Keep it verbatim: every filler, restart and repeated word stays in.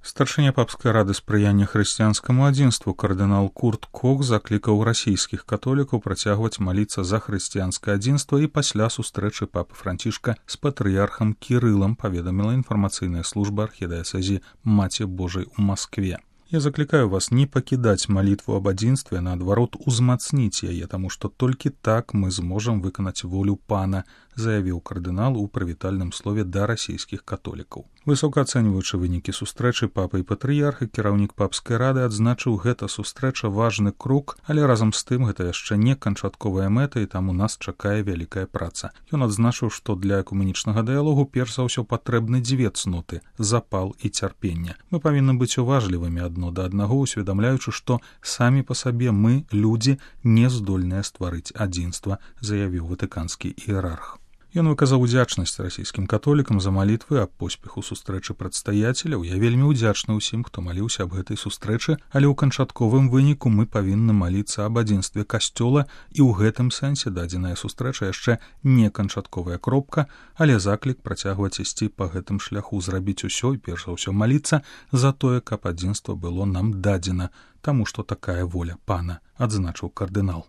Старшыня папскай рады спрыяння хрысціянскаму адзінству кардынал Курт Кох заклікаў расійскіх католікаў працягваць маліцца за хрысціянскае адзінства і пасля сустрэчы папы Францішка з патрыярхам Кірылам, паведаміла інфармацыйная служба архідыяцэзі Маці Божай у Маскве. Я заклікаю вас не пакідаць малітву аб адзінстве, наадварот, узмацніць яе, таму што толькі так мы зможам выканаць волю пана, заявіў кардынал у прывітальным слове да расійскіх католікаў. Высока ацэньваючы вынікі сустрэчы папы і патрыярха, кіраўнік папскай рады адзначыў, гэта сустрэча важны крок, але разам з тым гэта яшчэ не канчатковая мэта, і таму нас чакае вялікая праца. Ён адзначыў, што для экуменічнага дыялогу перш за ўсё патрэбны дзве цноты – запал і цярпенне. Мы павінны быць уважлівымі адно да аднаго, усведамляючы, што самі па сабе мы, людзі, не здольныя стварыць адзінства, заявіў ватыканскі іерарх. Ён выказаў удзячнасць расійскім католікам за малітвы аб поспеху сустрэчы прадстаяцеляў. Я вельмі ўдзячны ўсім, хто маліўся аб гэтай сустрэчы, але ў канчатковым выніку мы павінны маліцца аб адзінстве касцёла, і ў гэтым сэнсе дадзеная сустрэча яшчэ не канчатковая кропка, але заклік працягваць ісці па гэтым шляху, зрабіць усё і перш за ўсё маліцца за тое, каб адзінства было нам дадзена, таму што такая воля пана, адзначыў кардынал.